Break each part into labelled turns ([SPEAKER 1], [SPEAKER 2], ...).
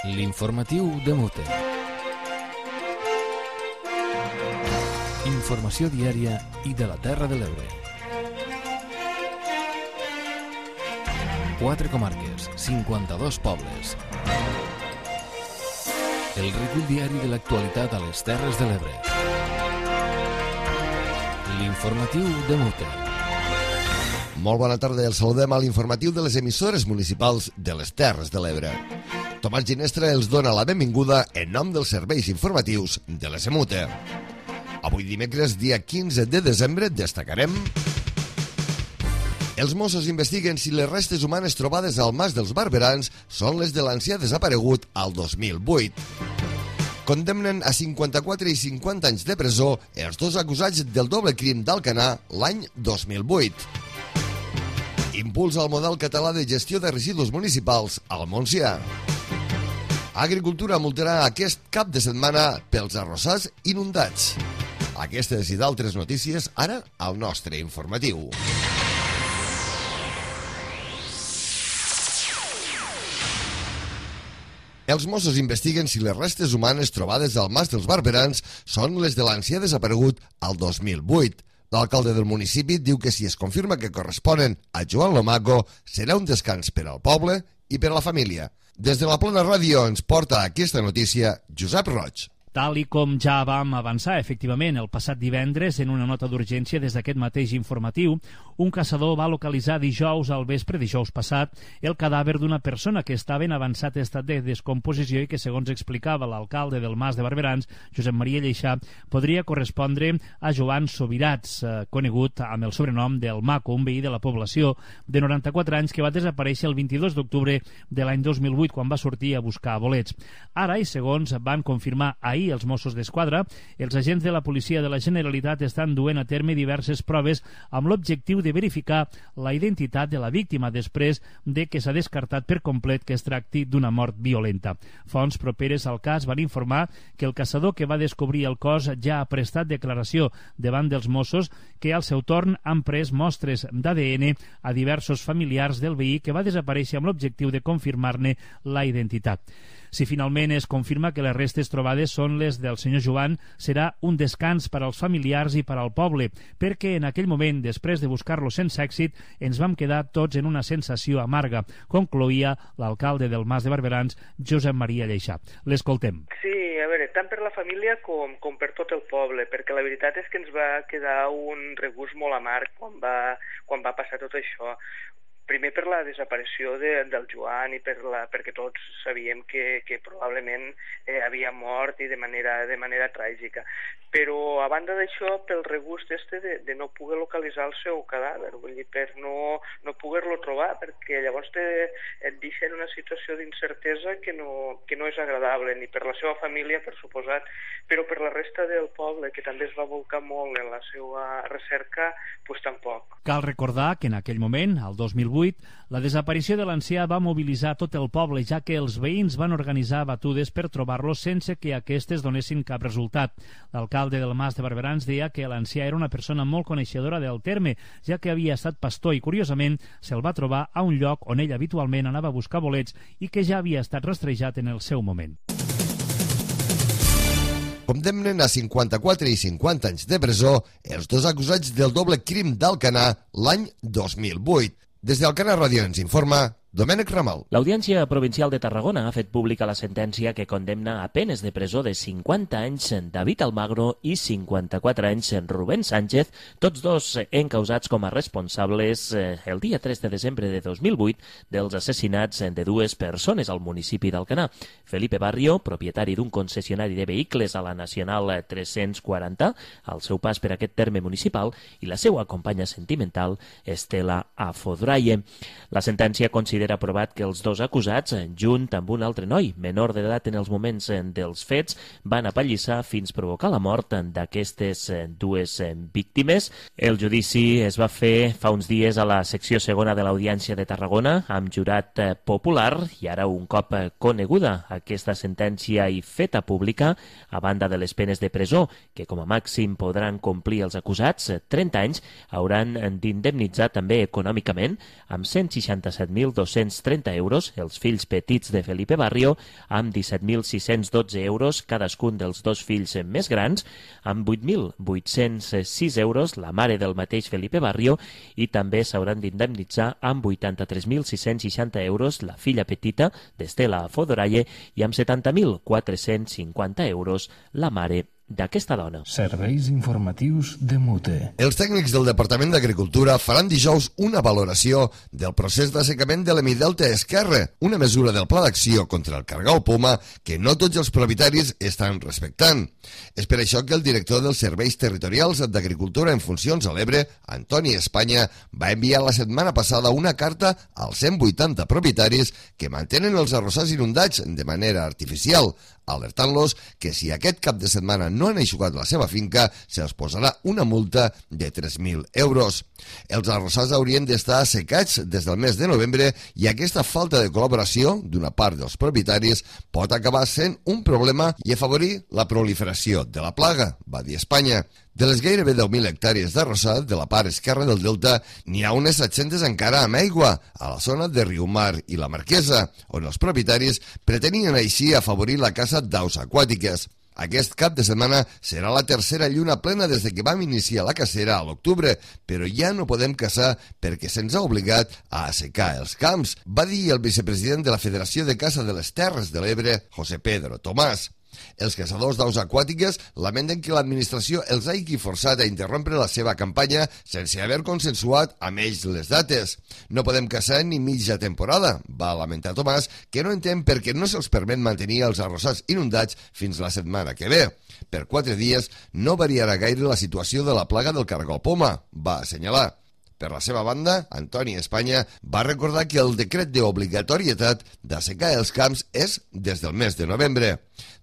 [SPEAKER 1] L'informatiu de Mute. Informació diària i de la Terra de l'Ebre. 4 comarques, 52 pobles. El recull diari de l'actualitat a les Terres de l'Ebre. L'informatiu de Mute.
[SPEAKER 2] Molt bona tarda, els saludem a l'informatiu de les emissores municipals de les Terres de l'Ebre. Tomàs Ginestra els dona la benvinguda en nom dels serveis informatius de l'SMUTE. Avui dimecres, dia 15 de desembre, destacarem: els Mossos investiguen si les restes humanes trobades al Mas dels Barberans són les de l'ancià desaparegut al 2008. Condemnen a 54 i 50 anys de presó els dos acusats del doble crim d'Alcanar l'any 2008. Impulsa el model català de gestió de residus municipals al Montsià. Agricultura multarà aquest cap de setmana pels arrossars inundats. Aquestes i d'altres notícies ara al nostre informatiu. Els Mossos investiguen si les restes humanes trobades al Mas dels Barberans són les de l'ancià desaparegut al 2008. L'alcalde del municipi diu que si es confirma que corresponen a Joan Lomaco, serà un descans per al poble i per a la família. Des de la Plana Ràdio ens porta aquesta notícia Josep Roig.
[SPEAKER 3] Tal i com ja vam avançar, efectivament, el passat divendres, en una nota d'urgència des d'aquest mateix informatiu, un caçador va localitzar dijous al vespre, dijous passat, el cadàver d'una persona que estava en avançat estat de descomposició i que, segons explicava l'alcalde del Mas de Barberans, Josep Maria Lleixà, podria correspondre a Joan Sobirats, conegut amb el sobrenom del Maco, un veí de la població de 94 anys que va desaparèixer el 22 d'octubre de l'any 2008, quan va sortir a buscar bolets. Ara, i segons van confirmar ahir els Mossos d'Esquadra, els agents de la policia de la Generalitat estan duent a terme diverses proves amb l'objectiu de verificar la identitat de la víctima després de que s'ha descartat per complet que es tracti d'una mort violenta. Fonts properes al cas van informar que el caçador que va descobrir el cos ja ha prestat declaració davant dels Mossos, que al seu torn han pres mostres d'ADN a diversos familiars del veí que va desaparèixer amb l'objectiu de confirmar-ne la identitat. Si finalment es confirma que les restes trobades són les del senyor Joan, serà un descans per als familiars i per al poble, perquè en aquell moment, després de buscar-lo sense èxit, ens vam quedar tots en una sensació amarga, concloïa l'alcalde del Mas de Barberans, Josep Maria Lleixà. L'escoltem.
[SPEAKER 4] Sí, a veure, tant per la família com per tot el poble, perquè la veritat és que ens va quedar un regust molt amarg quan va passar tot això. Primer per la desaparició del Joan i perquè tots sabíem que probablement havia mort i de manera tràgica. Però a banda d'això, pel regust de no poder localitzar el seu cadàver, vull dir, per no poder-lo trobar, perquè llavors et deixa en una situació d'incertesa que no és agradable, ni per la seva família, per suposat, però per la resta del poble, que també es va volcar molt en la seva recerca, doncs tampoc.
[SPEAKER 3] Cal recordar que en aquell moment, el 2008, la desaparició de l'ancià va mobilitzar tot el poble, ja que els veïns van organitzar batudes per trobar-lo sense que aquestes donessin cap resultat. L'alcalde del Mas de Barberans deia que l'ancià era una persona molt coneixedora del terme, ja que havia estat pastor i, curiosament, se'l va trobar a un lloc on ell habitualment anava a buscar bolets i que ja havia estat rastrejat en el seu moment.
[SPEAKER 2] Condemnen a 54 i 50 anys de presó els dos acusats del doble crim d'Alcanar l'any 2008. Des d'Alcanar Ràdio ens informa Domènec Ramal.
[SPEAKER 5] L'Audiència Provincial de Tarragona ha fet pública la sentència que condemna a penes de presó de 50 anys David Almagro i 54 anys Rubén Sánchez, tots dos encausats com a responsables el dia 3 de desembre de 2008 dels assassinats de dues persones al municipi d'Alcanar. Felipe Barrio, propietari d'un concessionari de vehicles a la Nacional 340, al seu pas per aquest terme municipal, i la seva companya sentimental, Estela Afodraye. La sentència considera aprovat que els dos acusats, junt amb un altre noi, menor d'edat en els moments dels fets, van apallissar fins provocar la mort d'aquestes dues víctimes. El judici es va fer fa uns dies a la secció segona de l'Audiència de Tarragona, amb jurat popular, i ara un cop coneguda aquesta sentència i feta pública, a banda de les penes de presó, que com a màxim podran complir els acusats, 30 anys, hauran d'indemnitzar també econòmicament amb 167.200 17.230 euros els fills petits de Felipe Barrio, amb 17.612 euros cadascun dels dos fills més grans, amb 8.806 euros la mare del mateix Felipe Barrio, i també s'hauran d'indemnitzar amb 83.660 euros la filla petita d'Estela Fodoralle i amb 70.450 euros la mare d'aquesta dona.
[SPEAKER 1] Serveis informatius de Mute.
[SPEAKER 2] Els tècnics del Departament d'Agricultura faran dijous una valoració del procés d'assecament de l'hemidelta esquerre, una mesura del Pla d'Acció contra el cargol poma que no tots els propietaris estan respectant. És per això que el director dels Serveis Territorials d'Agricultura en funcions a l'Ebre, Antoni Espanya, va enviar la setmana passada una carta als 180 propietaris que mantenen els arrossars inundats de manera artificial, alertant-los que si aquest cap de setmana no han eixugat la seva finca, se'ls posarà una multa de 3.000 euros. Els arrossars haurien d'estar assecats des del mes de novembre i aquesta falta de col·laboració d'una part dels propietaris pot acabar sent un problema i afavorir la proliferació de la plaga, va dir Espanya. De les gairebé 10.000 hectàrees d'arrossar de la part esquerra del delta, n'hi ha unes 700 encara amb aigua, a la zona de Riumar i la Marquesa, on els propietaris pretenien així afavorir la caça d'aus aquàtiques. Aquest cap de setmana serà la tercera lluna plena des de que vam iniciar la cacera a l'octubre, però ja no podem caçar perquè se'ns ha obligat a assecar els camps, va dir el vicepresident de la Federació de Caça de les Terres de l'Ebre, José Pedro Tomàs. Els caçadors d'aus aquàtiques lamenten que l'administració els hagi forçat a interrompre la seva campanya sense haver consensuat amb ells les dates. No podem caçar ni mitja temporada, va lamentar Tomàs, que no entén per què no se'ls permet mantenir els arrossars inundats fins la setmana que ve. Per 4 dies no variarà gaire la situació de la plaga del cargol poma, va assenyalar. Per la seva banda, Antoni Espanya va recordar que el decret d'obligatorietat d'assecar els camps és des del mes de novembre.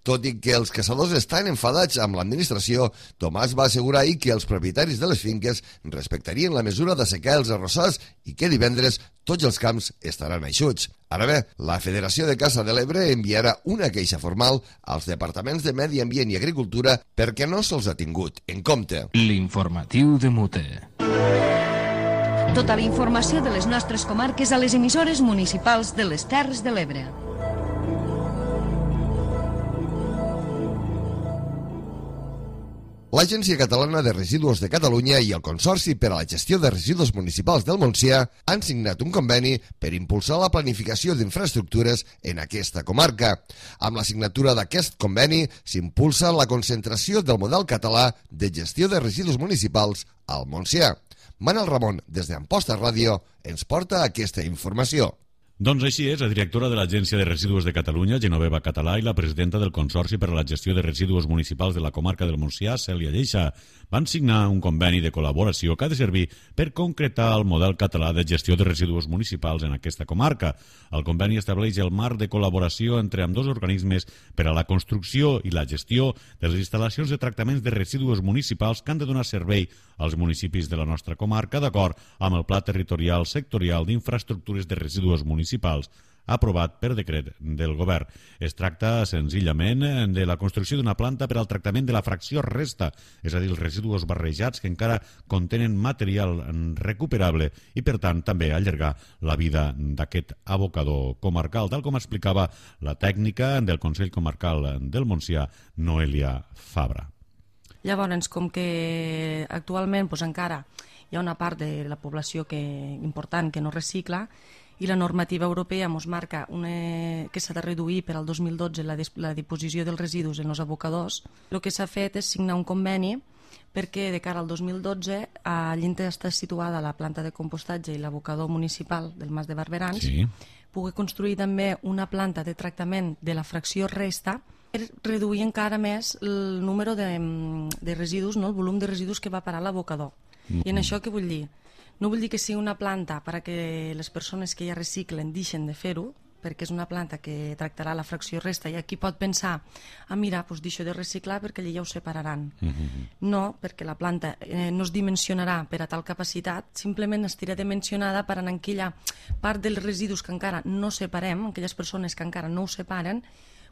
[SPEAKER 2] Tot i que els caçadors estan enfadats amb l'administració, Tomàs va assegurar ahir que els propietaris de les finques respectarien la mesura d'assecar els arrossars i que divendres tots els camps estaran eixuts. Ara bé, la Federació de Caça de l'Ebre enviarà una queixa formal als departaments de Medi Ambient i Agricultura perquè no se'ls ha tingut en compte.
[SPEAKER 1] L'informatiu de Mute.
[SPEAKER 6] Tota la informació de les nostres comarques a les emissores municipals de les Terres de l'Ebre.
[SPEAKER 2] L'Agència Catalana de Residus de Catalunya i el Consorci per a la Gestió de Residus Municipals del Montsià han signat un conveni per impulsar la planificació d'infraestructures en aquesta comarca. Amb la signatura d'aquest conveni s'impulsa la concentració del model català de gestió de residus municipals al Montsià. Manel Ramon, des d'Amposta Ràdio, ens porta aquesta informació.
[SPEAKER 7] Doncs així és, la directora de l'Agència de Residus de Catalunya, Genoveva Català, i la presidenta del Consorci per a la Gestió de Residus Municipals de la comarca del Montsià, Cèlia Lleixa, van signar un conveni de col·laboració que ha de servir per concretar el model català de gestió de residus municipals en aquesta comarca. El conveni estableix el marc de col·laboració entre ambdós organismes per a la construcció i la gestió de les instal·lacions de tractaments de residus municipals que han de donar servei als municipis de la nostra comarca d'acord amb el Pla Territorial Sectorial d'Infraestructures de Residus Municipals aprovat per decret del govern. Es tracta senzillament de la construcció d'una planta per al tractament de la fracció resta, és a dir, els residus barrejats que encara contenen material recuperable i, per tant, també allargar la vida d'aquest abocador comarcal, tal com explicava la tècnica del Consell Comarcal del Montsià, Noelia Fabra.
[SPEAKER 8] Llavors, com que actualment encara hi ha una part de la població important que no recicla, i la normativa europea ens marca que s'ha de reduir per al 2012 la disposició dels residus en els abocadors. El que s'ha fet és signar un conveni perquè de cara al 2012 allí està situada la planta de compostatge i l'abocador municipal del Mas de Barberans, pugui construir també una planta de tractament de la fracció resta per reduir encara més el número de residus, el volum de residus que va parar a l'abocador. I en això què vull dir? No vull dir que sigui una planta perquè les persones que ja reciclen deixen de fer-ho, perquè és una planta que tractarà la fracció resta i aquí pot pensar, mira, deixo de reciclar perquè allà ja ho separaran. No, perquè la planta no es dimensionarà per a tal capacitat, simplement estirà dimensionada per en aquella part dels residus que encara no separem, aquelles persones que encara no ho separen,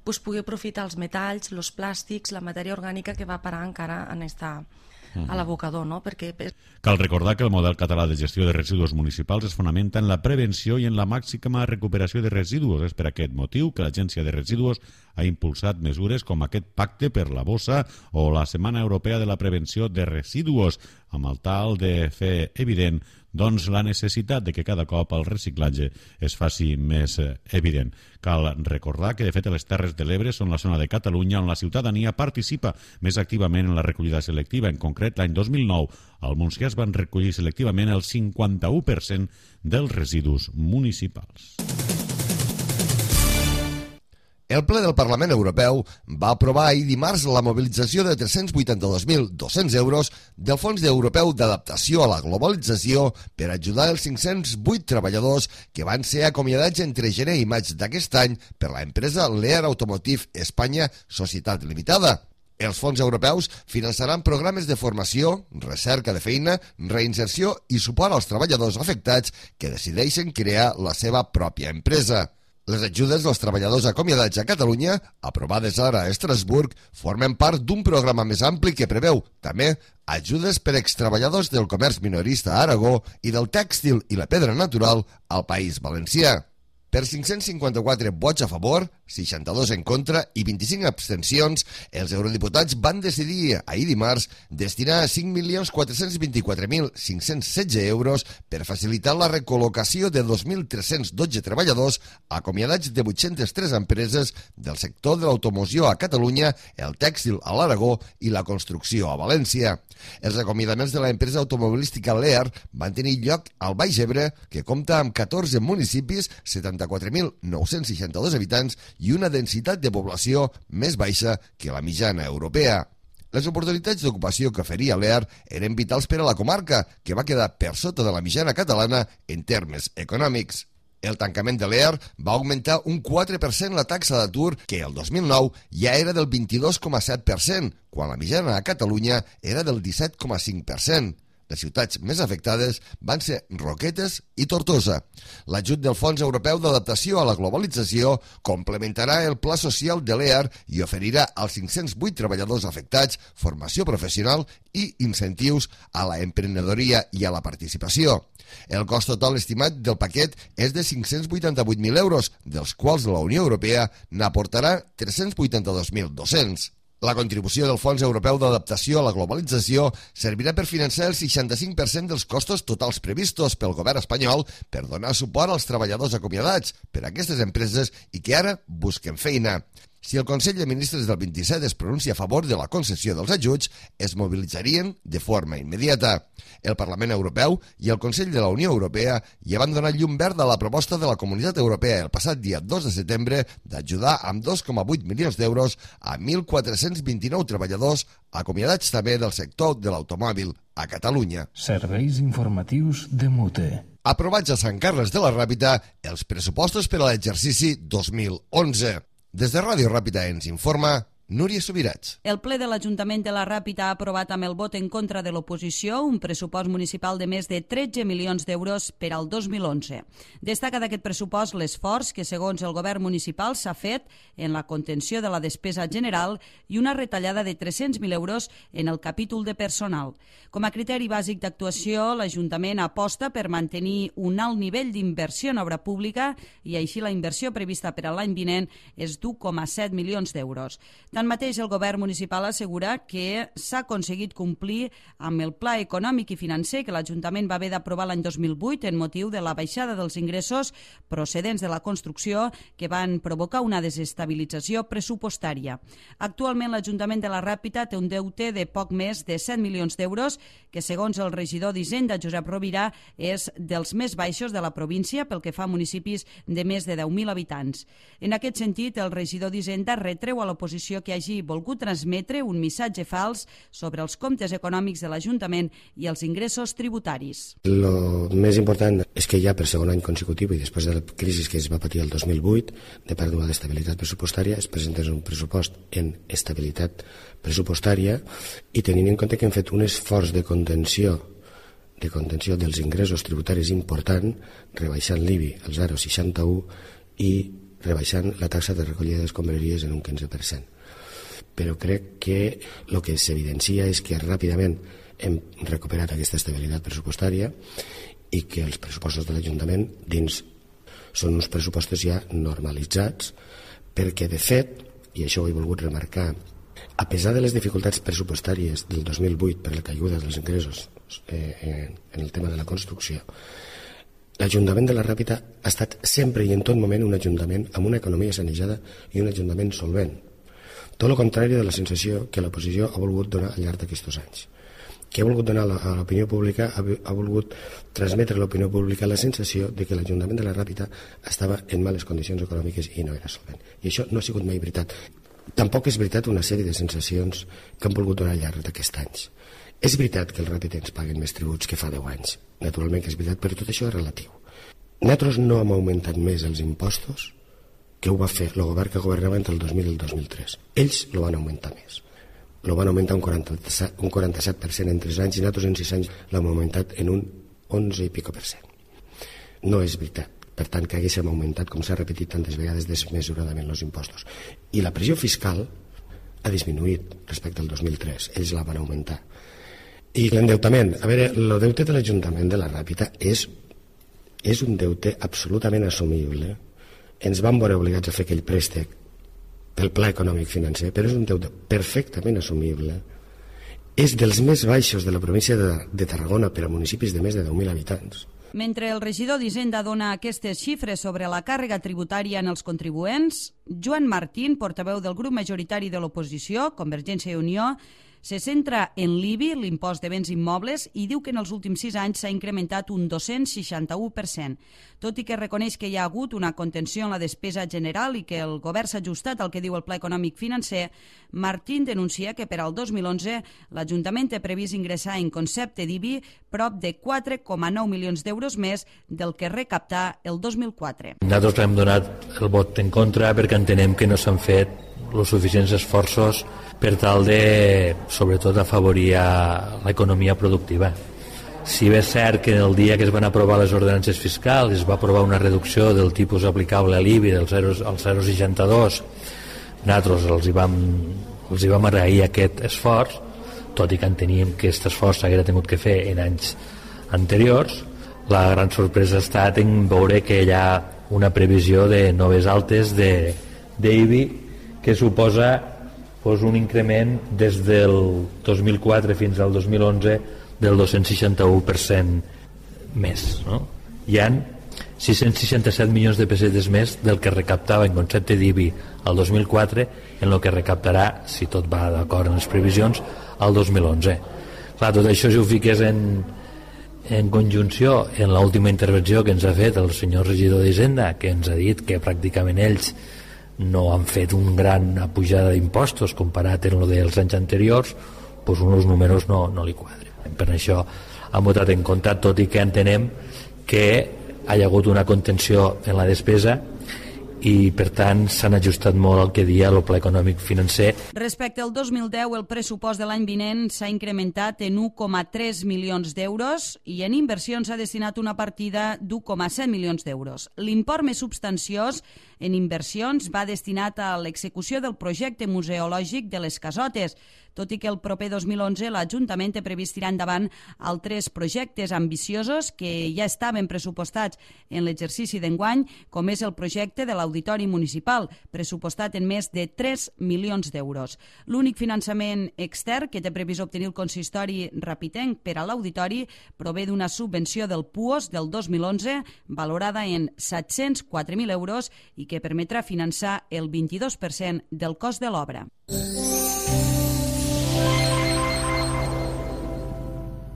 [SPEAKER 8] pugui aprofitar els metalls, els plàstics, la matèria orgànica que va parar encara en aquesta a l'abocador, no? Perquè...
[SPEAKER 7] Cal recordar que el model català de gestió de residus municipals es fonamenta en la prevenció i en la màxima recuperació de residus. És per aquest motiu que l'Agència de Residus ha impulsat mesures com aquest pacte per la bossa o la Setmana Europea de la Prevenció de Residus, amb el tal de fer evident la necessitat de que cada cop el reciclatge es faci més evident. Cal recordar que, de fet, les Terres de l'Ebre són la zona de Catalunya on la ciutadania participa més activament en la recollida selectiva. En concret, l'any 2009, al Montsià es van recollir selectivament el 51% dels residus municipals.
[SPEAKER 2] El ple del Parlament Europeu va aprovar ahir dimarts la mobilització de 382.200 euros del Fons Europeu d'Adaptació a la Globalització per ajudar els 508 treballadors que van ser acomiadats entre gener i maig d'aquest any per la empresa Lear Automotive Espanya Societat Limitada. Els fons europeus finançaran programes de formació, recerca de feina, reinserció i suport als treballadors afectats que decideixen crear la seva pròpia empresa. Les ajudes dels treballadors acomiadats a Catalunya, aprovades ara a Estrasburg, formen part d'un programa més ampli que preveu, també, ajudes per extreballadors del comerç minorista a Aragó i del tèxtil i la pedra natural al País Valencià. Per 554 vots a favor, 62 en contra i 25 abstencions, els eurodiputats van decidir ahir dimarts destinar 5.424.516 euros per facilitar la recol·locació de 2.312 treballadors acomiadats de 803 empreses del sector de l'automoció a Catalunya, el tèxtil a l'Aragó i la construcció a València. Els acomiadaments de l'empresa automobilística Lear van tenir lloc al Baix Ebre, que compta amb 14 municipis, 74.962 habitants i una densitat de població més baixa que la mitjana europea. Les oportunitats d'ocupació que oferia Lear eren vitals per a la comarca, que va quedar per sota de la mitjana catalana en termes econòmics. El tancament de Lear va augmentar un 4% la taxa d'atur, que el 2009 ja era del 22,7%, quan la mitjana a Catalunya era del 17,5%. Les ciutats més afectades van ser Roquetes i Tortosa. L'ajut del Fons Europeu d'Adaptació a la Globalització complementarà el pla social de l'EAR i oferirà als 508 treballadors afectats formació professional i incentius a la emprenedoria i a la participació. El cost total estimat del paquet és de 588.000 euros, dels quals la Unió Europea n'aportarà 382.200. La contribució del Fons Europeu d'Adaptació a la Globalització servirà per finançar el 65% dels costos totals previstos pel govern espanyol per donar suport als treballadors acomiadats per aquestes empreses i que ara busquen feina. Si el Consell de Ministres del 27 es pronuncia a favor de la concessió dels ajuts, es mobilitzarien de forma immediata. El Parlament Europeu i el Consell de la Unió Europea ja van donar llum verda a la proposta de la Comunitat Europea el passat dia 2 de setembre d'ajudar amb 2,8 milions d'euros a 1.429 treballadors acomiadats també del sector de l'automòbil a Catalunya.
[SPEAKER 1] Serveis informatius de Mute.
[SPEAKER 2] Aprovats a Sant Carles de la Ràpita els pressupostos per a l'exercici 2011. Des de Ràdio Ràpita ens informa Núria Subirats.
[SPEAKER 9] El ple de l'Ajuntament de la Ràpita ha aprovat amb el vot en contra de l'oposició un pressupost municipal de més de 13 milions d'euros per al 2011. Destaca d'aquest pressupost l'esforç que, segons el govern municipal, s'ha fet en la contenció de la despesa general i una retallada de 300.000 euros en el capítol de personal. Com a criteri bàsic d'actuació, l'Ajuntament aposta per mantenir un alt nivell d'inversió en obra pública i així la inversió prevista per a l'any vinent és d'1,7 milions d'euros. Tanmateix, el govern municipal assegura que s'ha aconseguit complir amb el pla econòmic i financer que l'Ajuntament va haver d'aprovar l'any 2008 en motiu de la baixada dels ingressos procedents de la construcció que van provocar una desestabilització pressupostària. Actualment, l'Ajuntament de la Ràpita té un deute de poc més de 7 milions d'euros que, segons el regidor d'Hisenda, Josep Rovira, és dels més baixos de la província pel que fa a municipis de més de 10.000 habitants. En aquest sentit, el regidor d'Hisenda retreu a l'oposició que hagi volgut transmetre un missatge fals sobre els comptes econòmics de l'Ajuntament i els ingressos tributaris.
[SPEAKER 10] Lo més important és que ja per segon any consecutiu i després de la crisi que es va patir el 2008 de pèrdua d'estabilitat pressupostària es presenta un pressupost en estabilitat pressupostària i tenint en compte que hem fet un esforç de contenció dels ingressos tributaris important, rebaixant l'IBI al 0,61 i rebaixant la taxa de recollida d'escombraries en un 15%. però crec que el que s'evidencia és que ràpidament hem recuperat aquesta estabilitat pressupostària i que els pressupostos de l'Ajuntament dins són uns pressupostos ja normalitzats, perquè de fet, i això ho he volgut remarcar, a pesar de les dificultats pressupostàries del 2008 per la caiguda dels ingressos en el tema de la construcció, l'Ajuntament de la Ràpita ha estat sempre i en tot moment un ajuntament amb una economia sanejada i un ajuntament solvent. Tot el contrari de la sensació que l'oposició ha volgut donar al llarg d'aquests anys. Que ha volgut donar a l'opinió pública, ha volgut transmetre a l'opinió pública la sensació de que l'Ajuntament de la Ràpita estava en males condicions econòmiques i no era solvent. I això no ha sigut mai veritat. Tampoc és veritat una sèrie de sensacions que han volgut donar al llarg d'aquests anys. És veritat que els ràpitens paguen més tributs que fa 10 anys. Naturalment que és veritat, però tot això és relatiu. Nosaltres no hem augmentat més els impostos que ho va fer el govern que governava entre el 2000 i el 2003. Ells lo van augmentar més. Lo van augmentar un 47% en 3 anys i nosaltres en 6 anys l'hem augmentat en un 11 i pico %. No és veritat. Per tant, que haguéssim augmentat, com s'ha repetit tantes vegades, desmesuradament els impostos. I la pressió fiscal ha disminuït respecte al 2003. Ells la van augmentar. I l'endeutament, a veure, el deute de l'Ajuntament de la Ràpita és un deute absolutament assumible. Ens vam veure obligats a fer aquell préstec del pla econòmic financer, però és un deute perfectament assumible. És dels més baixos de la província de Tarragona per a municipis de més de 10.000 habitants.
[SPEAKER 9] Mentre el regidor d'Hisenda dona aquestes xifres sobre la càrrega tributària en els contribuents, Joan Martín, portaveu del grup majoritari de l'oposició, Convergència i Unió, se centra en l'IBI, l'impost de béns immobles, i diu que en els últims 6 anys s'ha incrementat un 261%. Tot i que reconeix que hi ha hagut una contenció en la despesa general i que el govern s'ha ajustat al que diu el Pla Econòmic Financer, Martín denuncia que per al 2011 l'Ajuntament té previst ingressar en concepte d'IBI prop de 4,9 milions d'euros més del que recaptà el 2004.
[SPEAKER 11] Nosaltres hem donat el vot en contra perquè entenem que no s'han fet els suficients esforços per tal de, sobretot, afavorir l'economia productiva. Si bé és cert que el dia que es van aprovar les ordenances fiscals es va aprovar una reducció del tipus aplicable a l'IBI del 0,62, nosaltres els hi vam agrair aquest esforç, tot i que enteníem que aquest esforç s'haguera tingut que fer en anys anteriors. La gran sorpresa ha estat en veure que hi ha una previsió de noves altes d'IBI que suposa un increment des del 2004 fins al 2011 del 261% més. No? Hi ha 667 milions de pessetes més del que recaptava en concepte d'IBI al 2004 en el que recaptarà, si tot va d'acord amb les previsions, al 2011. Clar, tot això, si ho fiques en conjunció en l'última intervenció que ens ha fet el senyor regidor d'Hisenda, que ens ha dit que pràcticament ells no han fet una gran pujada d'impostos comparat amb el dels anys anteriors, doncs uns números no li quadren. Per això han votat en contra, tot i que entenem que hi ha hagut una contenció en la despesa i, per tant, s'han ajustat molt al que dia el Pla Econòmic Financer.
[SPEAKER 9] Respecte al 2010, el pressupost de l'any vinent s'ha incrementat en 1,3 milions d'euros i en inversions s'ha destinat una partida d'1,7 milions d'euros. L'import més substanciós en inversions va destinat a l'execució del projecte museològic de les Casotes, tot i que el proper 2011 l'Ajuntament té previst tirar endavant altres projectes ambiciosos que ja estaven pressupostats en l'exercici d'enguany, com és el projecte de l'Auditori Municipal, pressupostat en més de 3 milions d'euros. L'únic finançament extern que té previst obtenir el consistori rapitenc per a l'auditori prové d'una subvenció del PUOS del 2011, valorada en 704.000 euros i que permetrà finançar el 22% del cost de l'obra.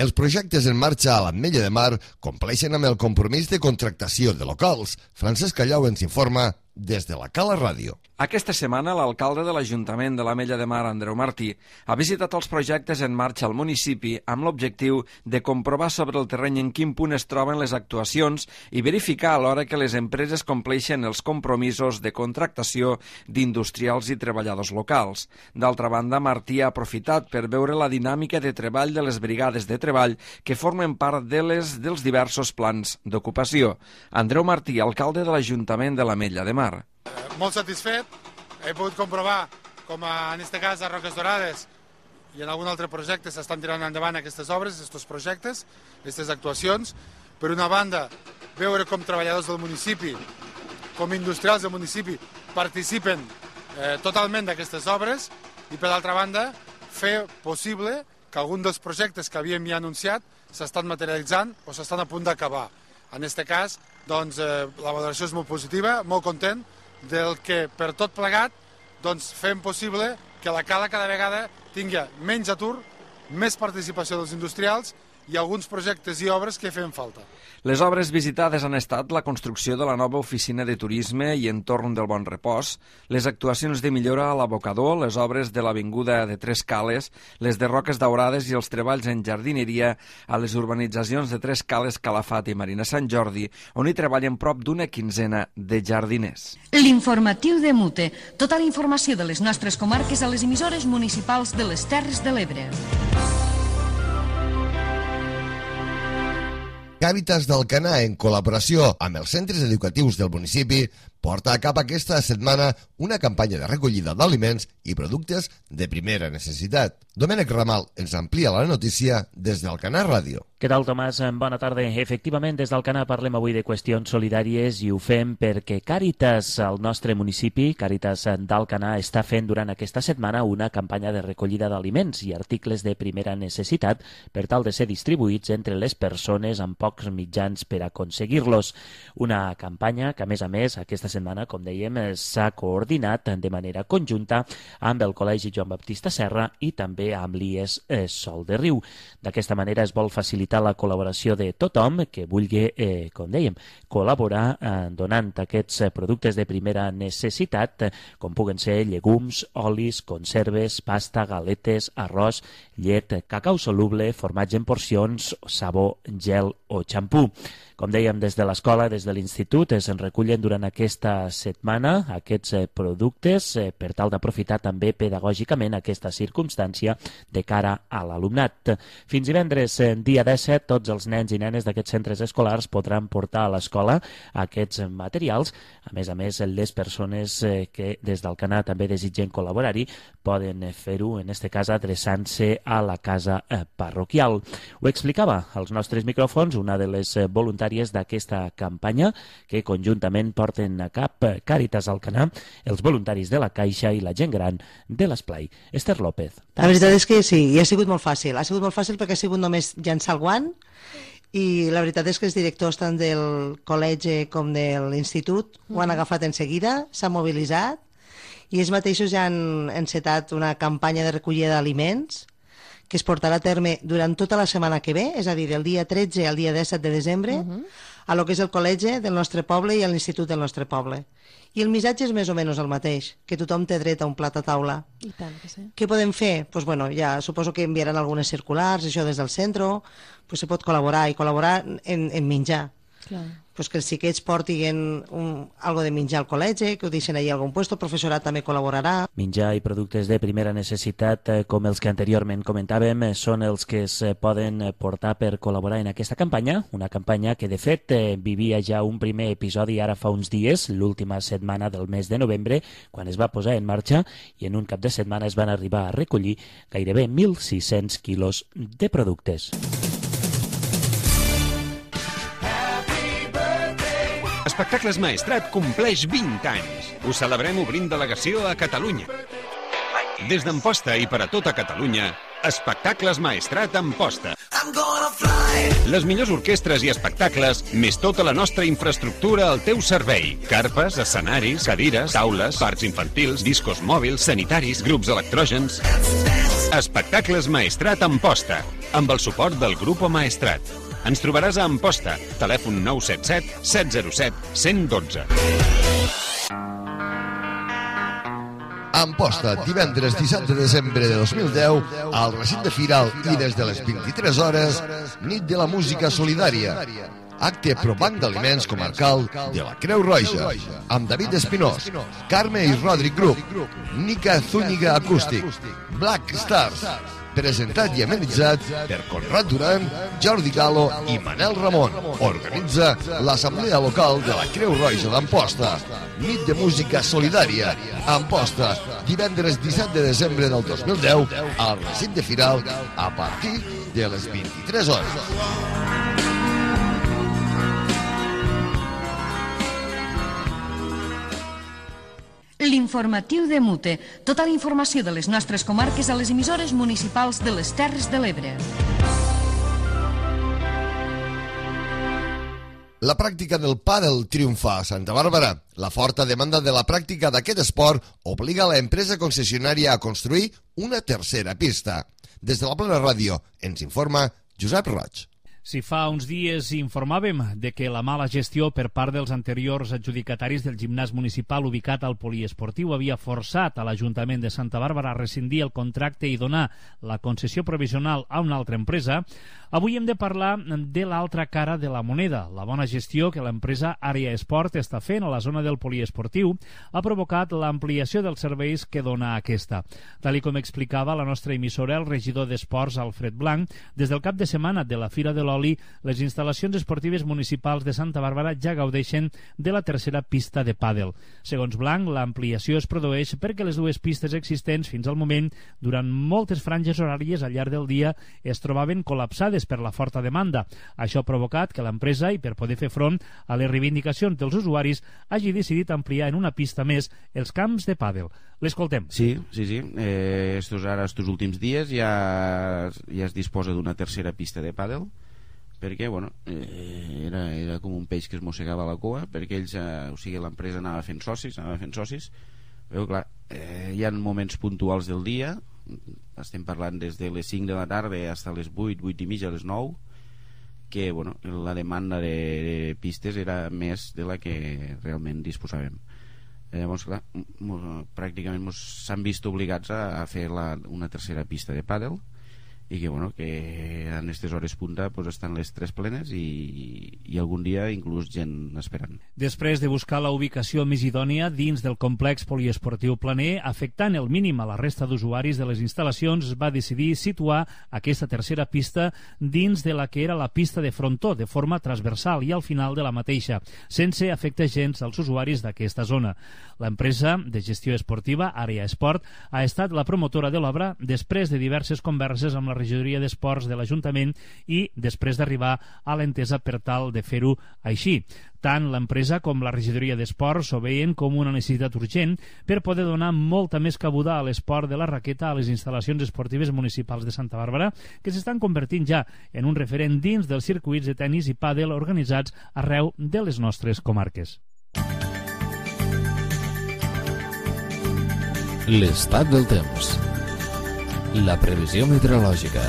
[SPEAKER 2] Els projectes en marxa a l'Ametlla de Mar compleixen amb el compromís de contractació de locals. Francesc Callau ens informa des de la Cala Ràdio.
[SPEAKER 12] Aquesta setmana, l'alcalde de l'Ajuntament de l'Ametlla de Mar, Andreu Martí, ha visitat els projectes en marxa al municipi amb l'objectiu de comprovar sobre el terreny en quin punt es troben les actuacions i verificar alhora que les empreses compleixen els compromisos de contractació d'industrials i treballadors locals. D'altra banda, Martí ha aprofitat per veure la dinàmica de treball de les brigades de treball que formen part dels diversos plans d'ocupació. Andreu Martí, alcalde de l'Ajuntament de l'Ametlla de Mar.
[SPEAKER 13] Molt satisfet, he pogut comprovar com en aquest cas a Roques Dorades i en algun altre projecte s'estan tirant endavant aquestes obres, aquests projectes, aquestes actuacions. Per una banda, veure com treballadors del municipi, com industrials del municipi, participen totalment d'aquestes obres i, per l'altra banda, fer possible que algun dels projectes que havíem ja anunciat s'estan materialitzant o s'estan a punt d'acabar. En aquest cas, doncs, la valoració és molt positiva, molt content del que per tot plegat fem possible que la Cala cada vegada tingui menys atur, més participació dels industrials i alguns projectes i obres que feien falta.
[SPEAKER 12] Les obres visitades han estat la construcció de la nova oficina de turisme i entorn del Bon Repòs, les actuacions de millora a l'abocador, les obres de l'avinguda de Tres Cales, les de Roques Daurades i els treballs en jardineria a les urbanitzacions de Tres Cales, Calafat i Marina Sant Jordi, on hi treballen prop d'una quinzena de jardiners.
[SPEAKER 6] L'informatiu de Mute. Tota la informació de les nostres comarques a les emissores municipals de les Terres de l'Ebre.
[SPEAKER 2] Càritas d'Alcanar, en col·laboració amb els centres educatius del municipi, porta a cap aquesta setmana una campanya de recollida d'aliments i productes de primera necessitat. Domènec Ramal ens amplia la notícia des d'Alcanar Ràdio.
[SPEAKER 5] Què tal, Tomàs? Bona tarda. Efectivament, des d'Alcanar parlem avui de qüestions solidàries i ho fem perquè Càritas, al nostre municipi, Càritas d'Alcanar, està fent durant aquesta setmana una campanya de recollida d'aliments i articles de primera necessitat per tal de ser distribuïts entre les persones amb pocs mitjans per aconseguir-los. Una campanya que, a més, aquesta setmana, com dèiem, s'ha coordinat de manera conjunta amb el Col·legi Joan Baptista Serra i també amb l'IES Sol de Riu. D'aquesta manera es vol facilitar la col·laboració de tothom que vulgui, com dèiem, col·laborar donant aquests productes de primera necessitat, com puguen ser llegums, olis, conserves, pasta, galetes, arròs, llet, cacau soluble, formatge en porcions, sabó, gel o xampú. Com dèiem, des de l'escola, des de l'institut, es recullen durant aquesta setmana aquests productes per tal d'aprofitar també pedagògicament aquesta circumstància de cara a l'alumnat. Fins divendres, dia 17, tots els nens i nenes d'aquests centres escolars podran portar a l'escola aquests materials. A més, les persones que des d'Alcanar també desitgen col·laborar-hi poden fer-ho, en aquest cas, adreçant-se a la casa parroquial. Ho explicava als nostres micròfons una de les voluntàries d'aquesta campanya que conjuntament porten a cap Càritas Alcanar, els voluntaris de la Caixa i la gent gran de l'Esplai. Esther López.
[SPEAKER 14] La veritat és que sí, i ha sigut molt fàcil. Ha sigut molt fàcil perquè ha sigut només llançar el guant i la veritat és que els directors tant del col·legi com de l'institut ho han agafat en seguida, s'han mobilitzat i ells mateixos ja han encetat una campanya de recollida d'aliments que es portarà a terme durant tota la setmana que ve, és a dir, del dia 13 al dia 17 de desembre, a lo que és el col·legi del nostre poble i a l'institut del nostre poble. I el missatge és més o menys el mateix, que tothom té dret a un plat a taula.
[SPEAKER 15] I tant que sí.
[SPEAKER 14] Què podem fer? Pues bueno, ja suposo que enviaran algunes circulars, això des del centre, pues se pot col·laborar, i col·laborar en menjar.
[SPEAKER 15] Clar.
[SPEAKER 14] Pues que els xiquets portin algo de menjar al col·legi, que ho deixen allà a algun lloc, el professorat també col·laborarà.
[SPEAKER 5] Menjar i productes de primera necessitat, com els que anteriorment comentàvem, són els que es poden portar per col·laborar en aquesta campanya, una campanya que de fet vivia ja un primer episodi ara fa uns dies, l'última setmana del mes de novembre, quan es va posar en marxa i en un cap de setmana es van arribar a recollir gairebé 1.600 quilos de productes.
[SPEAKER 16] Espectacles Maestrat compleix 20 anys. Ho celebrem obrint delegació a Catalunya. Des d'Amposta i per a tota Catalunya, Espectacles Maestrat Amposta. Les millors orquestres i espectacles, més tota la nostra infraestructura al teu servei. Carpes, escenaris, cadires, taules, parcs infantils, discos mòbils, sanitaris, grups electrògens. Espectacles Maestrat Amposta, amb el suport del Grupo Maestrat. Ens trobaràs a Amposta, telèfon 977 707 112.
[SPEAKER 2] Amposta, divendres 17 de desembre de 2010, al recinte Firal i des de les 23 hores, nit de la música solidària. acte pro Banc d'Aliments Comarcal de la Creu Roja, amb David Espinós, Carme i Rodric Group, Nica Zúñiga Acústic, Black Stars, presentat i amenitzat per Conrad Duran, Jordi Galo i Manel Ramon. Organitza l'Assemblea Local de la Creu Roja d'Amposta. Nit de música solidària. Amposta, divendres 17 de desembre del 2010, al recinte Firal, a partir de les 23 hores.
[SPEAKER 6] L'informatiu de Mute. Tota la informació de les nostres comarques a les emissores municipals de les Terres de l'Ebre.
[SPEAKER 2] La pràctica del pàdel triomfa a Santa Bàrbara. La forta demanda de la pràctica d'aquest esport obliga a l'empresa concessionària a construir una tercera pista. Des de la Plana Ràdio ens informa Josep Roig.
[SPEAKER 3] Si fa uns dies informàvem de que la mala gestió per part dels anteriors adjudicataris del gimnàs municipal ubicat al poliesportiu havia forçat a l'Ajuntament de Santa Bàrbara a rescindir el contracte i donar la concessió provisional a una altra empresa, avui hem de parlar de l'altra cara de la moneda. La bona gestió que l'empresa Àrea Esport està fent a la zona del poliesportiu ha provocat l'ampliació dels serveis que dona aquesta. Tal com explicava la nostra emissora, el regidor d'Esports, Alfred Blanc, des del cap de setmana de la Fira de l'Oli, les instal·lacions esportives municipals de Santa Bàrbara ja gaudeixen de la tercera pista de pàdel. Segons Blanc, l'ampliació es produeix perquè les dues pistes existents fins al moment, durant moltes franges horàries al llarg del dia, es trobaven col·lapsades per la forta demanda. Això ha provocat que l'empresa, i per poder fer front a les reivindicacions dels usuaris, hagi decidit ampliar en una pista més els camps de pàdel. L'escoltem.
[SPEAKER 15] Sí. Estos últims dies ja es disposa d'una tercera pista de pàdel, perquè era com un peix que es mossegava la cua, perquè ells, l'empresa anava fent socis. Però clar, hi ha moments puntuals del dia, estem parlant des de les 5 de la tarda fins a les 8 i mitja, a les 9, que la demanda de pistes era més de la que realment disposàvem. Llavors, clar, pràcticament s'han vist obligats a fer una tercera pista de pàdel, i que en aquestes hores punta estan les 3 plenes i algun dia inclús gent esperant.
[SPEAKER 3] Després de buscar la ubicació més idònia dins del complex poliesportiu planer, afectant el mínim a la resta d'usuaris de les instal·lacions, es va decidir situar aquesta tercera pista dins de la que era la pista de frontó, de forma transversal i al final de la mateixa, sense afectar gens als usuaris d'aquesta zona. L'empresa de gestió esportiva, Àrea Esport, ha estat la promotora de l'obra després de diverses converses amb la regidoria d'Esports de l'Ajuntament i després d'arribar a l'entesa per tal de fer-ho així. Tant l'empresa com la regidoria d'Esports ho veien com una necessitat urgent per poder donar molta més cabuda a l'esport de la raqueta a les instal·lacions esportives municipals de Santa Bàrbara, que s'estan convertint ja en un referent dins dels circuits de tennis i pàdel organitzats arreu de les nostres comarques.
[SPEAKER 1] L'estat del temps. La previsió meteorològica.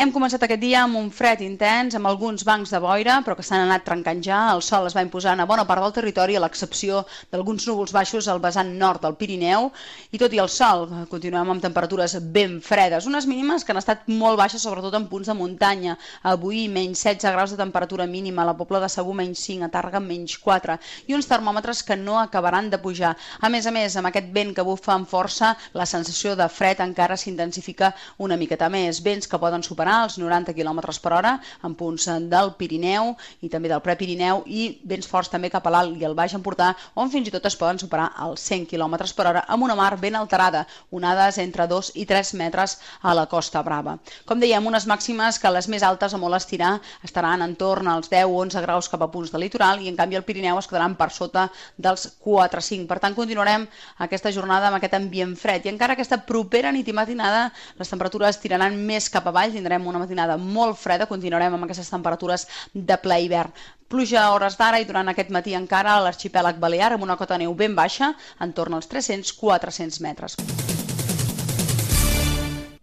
[SPEAKER 17] Hem començat aquest dia amb un fred intens, amb alguns bancs de boira, però que s'han anat trencant ja. El sol es va imposant a bona part del territori, a l'excepció d'alguns núvols baixos al vessant nord del Pirineu. I tot i el sol, continuem amb temperatures ben fredes, unes mínimes que han estat molt baixes, sobretot en punts de muntanya. Avui, menys 16 graus de temperatura mínima, a la Pobla de Segur, menys 5, a Tàrrega, menys 4, i uns termòmetres que no acabaran de pujar. A més, amb aquest vent que bufa amb força, la sensació de fred encara s'intensifica una miqueta més. Vents que poden superar els 90 km per hora en punts del Pirineu i també del Prepirineu, i vents forts també cap a l'Alt i el Baix Empordà, on fins i tot es poden superar els 100 km per hora amb una mar ben alterada, onades entre 2 i 3 metres a la Costa Brava. Com dèiem, unes màximes que les més altes a molt estirar estaran entorn als 10-11 graus cap a punts del litoral, i en canvi al Pirineu es quedaran per sota dels 4-5. Per tant, continuarem aquesta jornada amb aquest ambient fred, i encara aquesta propera nit i matinada les temperatures tiraran més cap avall, tindrem una matinada molt freda, continuarem amb aquestes temperatures de ple hivern. Pluja a hores d'ara i durant aquest matí encara a l'arxipèlag balear amb una cota de neu ben baixa, entorn als 300-400 metres.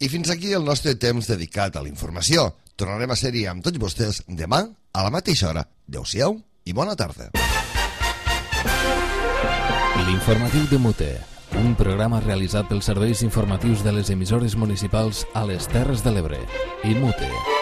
[SPEAKER 2] I fins aquí el nostre temps dedicat a la informació. Tornarem a ser-hi amb tots vostès demà a la mateixa hora. Adéu-siau i bona tarda.
[SPEAKER 1] L'informatiu de Mute, Un programa realitzat pels serveis informatius de les emissores municipals a les Terres de l'Ebre. IMUTE.